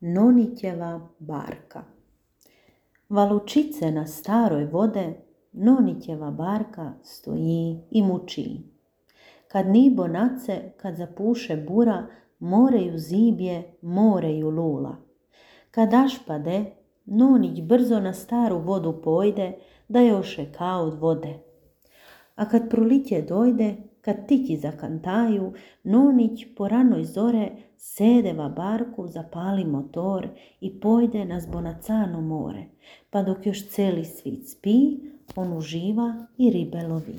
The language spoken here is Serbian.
Nonićeva barka. Valučice na staroj vode, Nonićeva barka stoji i muči. Kad nibo nace, kad zapuše bura, moreju zibje, moreju lula. Kad ašpade, Nonić brzo na staru vodu pojde, da joše kao od vode. A kad proliće dojde, kad tići zakantaju, Nonić po ranoj zore sedeva barku, zapali motor i pojde na zbonacano more, pa dok još celi svit spi, on uživa i ribe lovi.